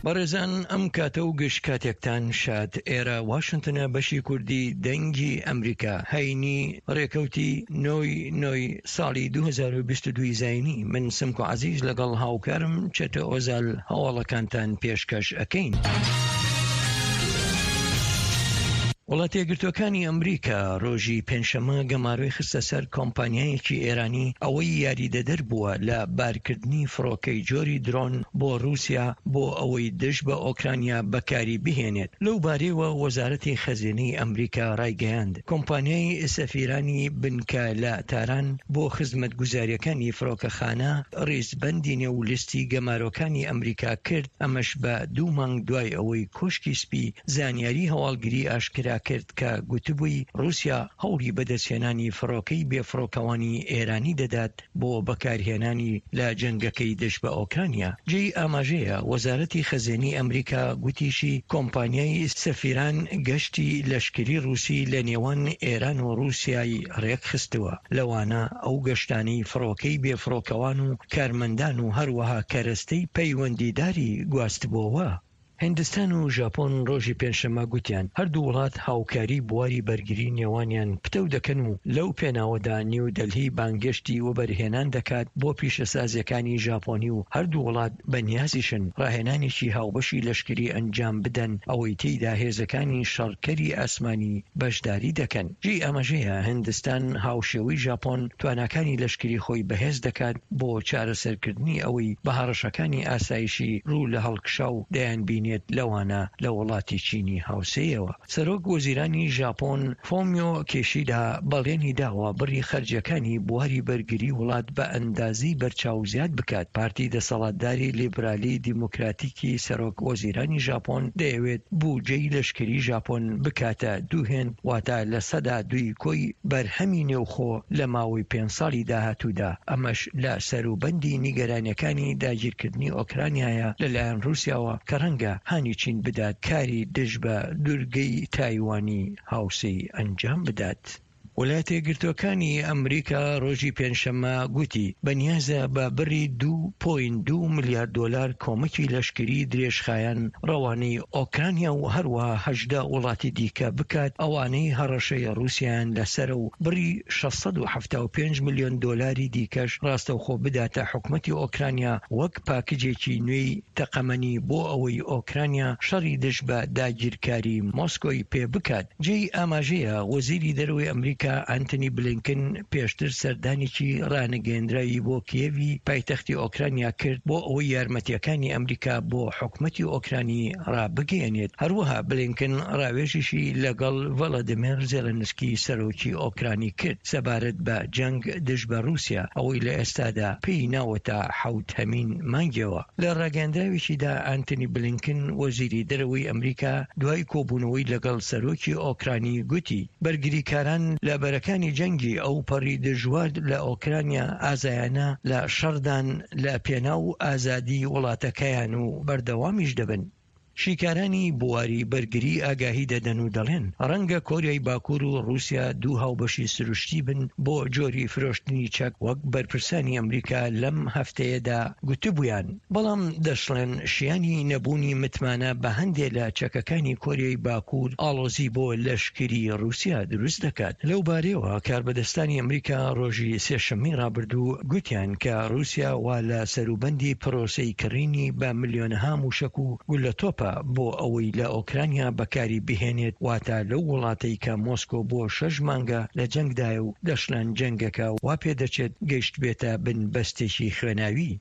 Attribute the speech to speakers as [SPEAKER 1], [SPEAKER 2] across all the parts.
[SPEAKER 1] بەڕێزان ئەم کاتە و گشت کاتێکتان شاد ئێرە واشنتنە بەشی کوردی دەنگی ئەمریکا هەینی ڕێکەوتی نۆی نۆی ساڵی 2022 زینی من سمکۆ عەزیز لەگەڵ هاوکارم چەتە ئۆزال هەواڵەکانتان پێشکەش ئەکەین. وڵاتەیەکگرتووەکانی ئەمریکا ڕۆژی پێنجشەممە گەمارۆی خستە سەر کۆمپانیایەکی ئێرانی ئەوەی یاریدەدەر بووە لە بارکردنی فڕۆکەی جۆری درۆن بۆ ڕووسیا بۆ ئەوەی دژ بە ئۆکرانیا بەکاری بهێنێت. لەو بارەیەوە وەزارەتی خەزێنەی ئەمریکا ڕایگەیاند، کۆمپانیای سەفیرانی بنکە لە تاران بۆ خزمەتگوزارییەکانی فڕۆکەخانە ڕیزبەندی نێو لیستی گەمارۆکانی ئەمریکا کرد، ئەمەش بە دوو مانگ دوای ئەوەی کۆشکی سپی زانیاری هەواڵگری ئاشکرا کرد کە گوتبووی ڕووسیا هەوڵی بەدەستهێنانی فڕۆکەی بێفڕۆکەوانی ئێرانی دەدات بۆ بەکارهێنانی لە جەنگەکەی دژ بە ئۆکرانیا. جێی ئاماژەیە وەزارەتی خەزێنەی ئەمریکا گوتیشی کۆمپانیای سەفیران گەشتی لەشکری ڕووسی لە نێوان ئێران و ڕووسیای ڕێکخستووە، لەوانە ئەو گەشتانەی فڕۆکەی بێفڕۆکەوان و کارمەندان و هەروەها کەرەستەی پەیوەندیداری گواستبۆوە. هیندستان و ژاپۆن ڕۆژی پێنجشەممە گوتیان هەردوو وڵات هاوکاری بواری بەرگری نێوانیان پتەو دەکەن و لەو پێناوەدا نیو دەلهی بانگێشتی وەبەرهێنان دەکات بۆ پیشەسازیەکانی ژاپۆنی و هەردوو وڵات بەنیازیشن ڕاهێنانێکی هاوبەشی لەشکری ئەنجام بدەن ئەوەی تێیدا هێزەکانی شەڕکەری ئاسمانی بەشداری دەکەن. جێی ئاماژەیە هیندستان هاوشێوەی ژاپۆن تواناکانی لەشکری خۆی بەهێز دەکات بۆ چارەسەرکردنی ئەوەی بە هەڕەشەکانی ئاسایشی ڕوو لە هەڵکشاو دەیانبینێت لەوانە لە وڵاتی چینی هاوسێیەوە. سەرۆک وەزیرانی ژاپۆن فۆمیۆ کیشیدا بەڵێنی داوە بڕی خەرجیەکانی بواری بەرگری وڵات بە ئەندازەی بەرچاو زیاد بکات. پارتی دەسەڵاتداری لیبرالی دیموکراتیکی سەرۆک وەزیرانی ژاپۆن دەیەوێت بوجەی لەشکری ژاپۆن بکاتە دوو هێند واتە 2% کۆی بەرهەمی نێوخۆ لە ماوەی پێنج ساڵی داهاتوودا، ئەمەش لە سەروبەندی نیگەرانیەکانی داگیرکردنی ئۆکرانیایە لەلایەن ڕووسیاوە کە ڕەنگە هانی چین بدات کاری دژ بە دورگەی تایوانی هاوسێی ئەنجام بدات. ویلایەتەیەکگرتووەکانی ئەمریکا ڕۆژی پێنجشەممە گوتی بەنیازە بە بڕی 2.2 ملیار دۆلار کۆمەکی لەشکری درێژخایەن ڕەوانەی ئۆکرانیا و هەروەها 18 وڵاتی دیکە بکات ئەوانەی هەڕەشەی ڕووسیایان لەسەرە و بڕی 675 ملیۆن دۆلاری دیکەش ڕاستەوخۆ بداتە حکومەتی ئۆکرانیا وەک پاکجێکی نوێی تەقەمەنی بۆ ئەوەی ئۆکرانیا شەڕی دژ بە داگیرکاری مۆسکۆی پێ بکات. جێی ئاماژەیە وەزیری دەرەوەی ئەمریکا ئانتۆنی بلینکن پێشتر سەردانێکی ڕانەگەیەندراوی بۆ کیێڤی پایتەختی ئۆکرانیا کرد بۆ ئەوەی یارمەتییەکانی ئەمریکا بۆ حکومەتی ئۆکرانی ڕابگەیەنێت. هەروەها بلینکن ڕاوێژیشی لەگەڵ ڤلادیمێر زێلێنسکی سەرۆکی ئۆکرانی کرد سەبارەت بە جەنگ دژ بە ڕووسیا ئەوەی لە ئێستادا پێی ناوەتە حەوتهەمین مانگیەوە. لە ڕاگەیەندراوێکیدا ئانتۆنی بلینکن وەزیری دەرەوەی ئەمریکا دوای کۆبوونەوەی لەگەڵ سەرۆکی ئۆکرانی گوتی، بەرگریکاران لە بەرەکانی جەنگی ئەوپەڕی دژوار لە ئۆکرانیا ئازایانە لە شەڕدان لە پێناو ئازادی وڵاتەکەیان و بەردەوامیش دەبن. شیکارانی بواری بەرگری ئاگاهی دەدەن و دەڵێن، ڕەنگە کۆریای باکوور و ڕووسیا دوو هاوبەشی سروشتی بن بۆ جۆری فرۆشتنی چەک وەک بەرپرسانی ئەمریکا لەم هەفتەیەدا گوتبوویان، بەڵام دەشڵێن شیانی نەبوونی متمانە بە هەندێ لە چەکەکانی کۆریای باکوور ئاڵۆزی بۆ لەشکری ڕووسیا دروست دەکات. لەوبارەیەوە کاربەدەستانی ئەمریکا ڕۆژی سێشەممەی ڕابردوو گوتیان کە ڕووسیا وا لە سەروبەندی پرۆسەی کڕینی بە ملیۆنەها مووشەک و گوللەتۆپە بۆ ئەوەی لە ئۆکرانیا بەکاری بهێنێت، واتە لەو وڵاتەی کە مۆسکۆ بۆ شەش مانگە لە جەنگدایە و دەشڵێن جەنگەکە وا پێدەچێت گەیشتبێتە بنبەستێکی خوێناوی.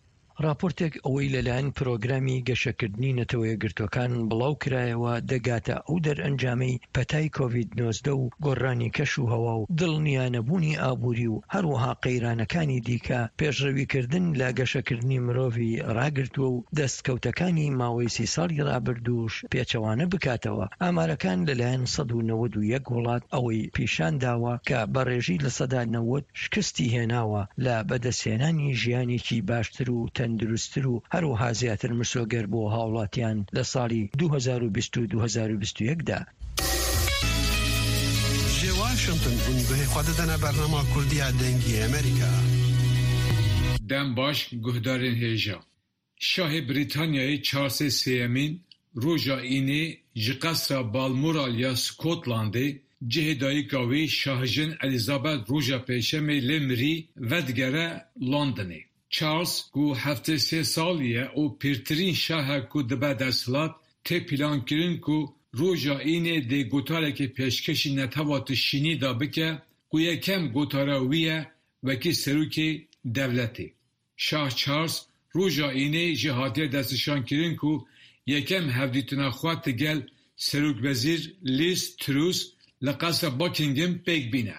[SPEAKER 1] ڕاپۆرتێک ئەوەی لەلایەن پرۆگرامی گەشەکردنی نەتەوەیەکگرتووەکان بڵاوکرایەوە دەگاتە ئەو دەرئەنجامەی پەتای کۆڤید 19 و گۆڕانی کەش و هەوا و دڵنیانەبوونی ئابووری و هەروەها قەیرانەکانی دیکە پێشڕەویکردن لە گەشەکردنی مرۆڤی ڕاگرتووە و دەستکەوتەکانی ماوەی سی ساڵی ڕابردووش پێچەوانە بکاتەوە. ئامارەکان لەلایەن 191 وڵات ئەوەی پیشانداوە کە بە ڕێژەی 90% شکستی هێناوە لە بەدەستهێنانی ژیانێکی باشتر و تەندروستتر و هەروەها زیاتر مسۆگەر بۆ هاوڵاتیان لە ساڵی 2020 و 2021 دا.
[SPEAKER 2] Ji Washington hûn guhê xwe didine bernama Kurdî ya Dengê Amerîka.
[SPEAKER 3] Dem baş guhdarên hêja. Şahê Brîtanyayê Charlesê Sêyemîn roja Înê ji Qesra Balmoral ya Skotlandê cihê dayika wî Şahjin Elizabeth roja Pêncşemê lê mirî vedigere Londonê. Charles ku 73 salî ye û pîrtirîn şah e ku dibe desthilat, tê pîlankirin ku roja Înê dê gotarekê pêşkêşî netewa tişînî de bike ku yekem gotara wî ye wekî serokê dewletê. Şah Charles roja Înê jî hatiye destnîşankirin ku yekem hevdîtina xwe digel Serokwezîr Liz Truss li Qesra Buckingham pêk bîne.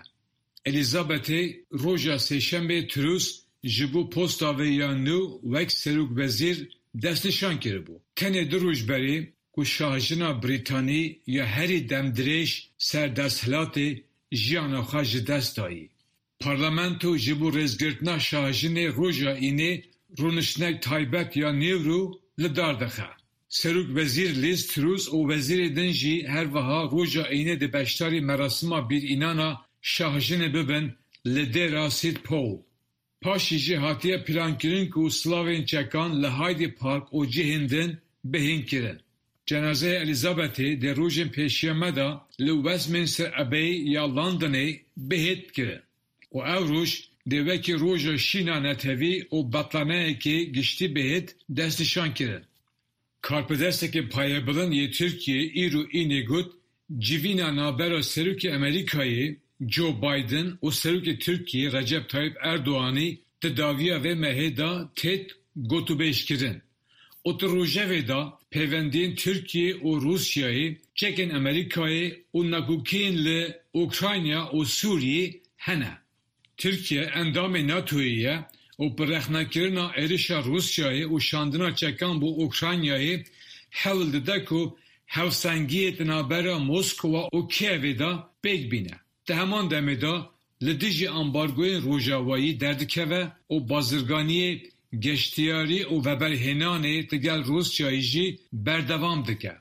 [SPEAKER 3] Elizabethê roja Sêşembê Truss ji bo posta wê ya nû wek serokwezîr destnîşan kiribû. Tenê du roj berê ku şahjina Brîtanî ya herî demdirêj ser desthilatê jiyana xwe ji dest dayî. Parlamento ji bo rêzgirtina şahjinê roja Înê rûniştinek taybet ya nîvro li dar dixe. Serokwezîr Liz Truss û wezîrê din jî her wiha roja Înê dê beşdarî merasima bîrînana şahjinê bibin li Dêra St Paul. Paşê jî hatiye plankirin ku silavên çekan li Hyde Park û cihên din bihên kirin. Cenazeyê Elizabethê dê rojên pêşiya me de li Westminster Abbey ya Londonê bihêt kirin û ew roj dê wekî roja şîna netewî û betlaneyekê giştî bihêt destnîşankirin. Karbidestekê payebilind yê Tirkiyê îro Înê got, civîna navbera Serokê Amerîkayê Joe Biden û Serokê Tirkiyê Recep Tayyip Erdoganî di dawiya vê mehê de têt gotûbêjkirin û di rojevê de pêwendiyên Tirkiye û Rûsyayê, çekên Amerîkayê û nakokiyên li Ukrayna û Sûriyê hene. Tirkiye endamê NATOyê ye û bi rexnekirina êrişa Rûsyayê û şandina çekan bo Ukraynayê hewl dide ku hevsengiyê di navbera Moskowa û Kievê de pêk bîne. Di heman demê de li dijî ambargoyên rojavayî derdikeve û bazirganiyê geştyarî û veberhênanê digel Rûsyayê jî berdewam dike.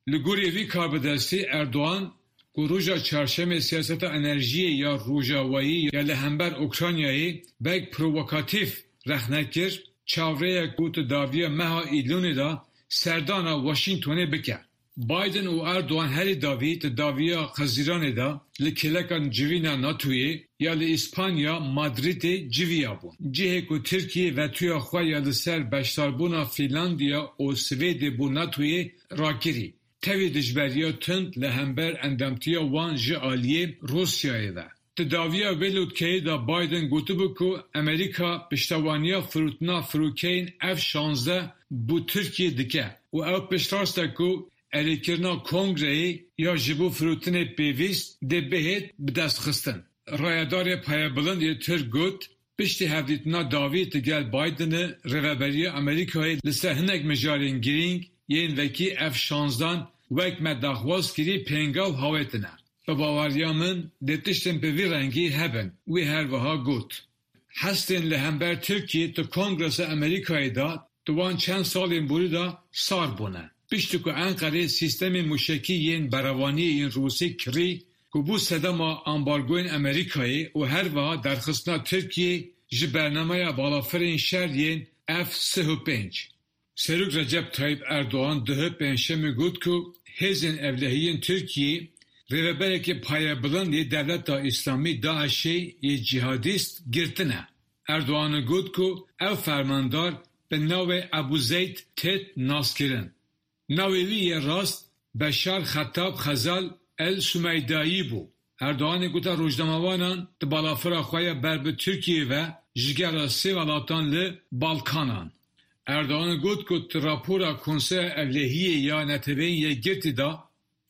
[SPEAKER 3] Li gorî vî karbidestî Erdogan ku roja Çarşemê siyaseta enerjiyê ya rojavayî ya li hember Ukraynayê wek provokatîf rexne kir, çavrê ye ku di dawiya meha Îlonê de serdana Washingtonê bike. Biden û Erdogan herî dawî di dawiya Xezîranê de li kêleka civîna NATOyê ya li Îspanya Madridê civiyabûn. Cihê ku Tirkiye vetoya xwe ya li ser beşdarbûna Fînlandiya û Swêdê bo NATOyê rakirî, tevî dijberiya tund li hember endamtiya wan ji aliyê Rûsyayê ve. Di dawiya vê lûtkeyê de Biden gotibû ku Amerîka piştevaniya firotina firokeyên F 16 bo Tirkiyê dike û ew piştrast e ku erêkirina kongreyê ya ji bo firotinê pêwîst dê bihêt bidestxistin. Rayedarê payebilind yê Tirk got, piştî hevdîtina dawî digel Bidenê rêveberiya Amerîkayê li ser hinek mijarên girîng yên wekî F 16 wek me daxwaz kirî pêngav hawêtine. Bi baweriya min dê tiştên bi vî rengî hebin, wî her wiha got. Hestên li hember Tirkiyê di Kongresa Amerîkayê de di wan çend salên borî de sar bûne. Piştî ku Enqerê sîstemên mûşekî yên berevaniyê yên Rûsî kirî ku bû sedema ambargoyên Amerîkayê û her wiha derxistina Tirkiyê ji bernameya balafirên şer yên F 35. Serok Recep Tayyip Erdogan duh Pêncşemê got ku hêzên ewlehiyên Tirkiyê rêveberekê payebilind yê Dewleta Îslamî DAIŞê yê cîhadîst girtine. Erdogan got ku ew fermandar bi navê Ebû Zeyd têt naskirin. Navê wî yê rast Beşar Xetab Xezal El Sumeydayî bû. Erdoganê gote rojnamevanan di balafira xwe ya ber bi Tirkiyê ve ji gera sê welatan li Balkanan. Erdogan got ku di rapora Konseya Ewlehiyê ya Neteweyên Yekgirtî de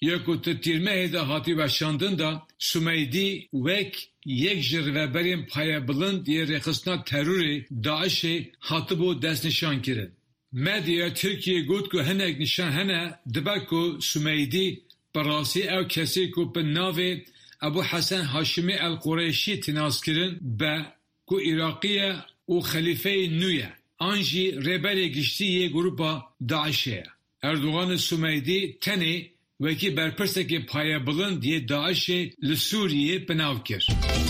[SPEAKER 3] ya ku di tîrmehê de hatî weşandin de Sumeydî wek yek ji rêveberên payebilind yê rêxistina terorê DAIŞê hatibû destnîşankirin. Medyaya Tirkiyê got ku hinek nîşan hene dibe ku Sumeydî bi rastî ew kesê ku bi navê Ebû Hesen Haşimî El Qureşî tê naskirin be ku Iraqî ye û xelîfeyê nû ye an jî rêberê giştî yê grûpa DAIŞê ye. Erdogan û Sumeydî tenê wekî berpirsekê payebilind yê DAIŞê li Sûriyê bi nav kir.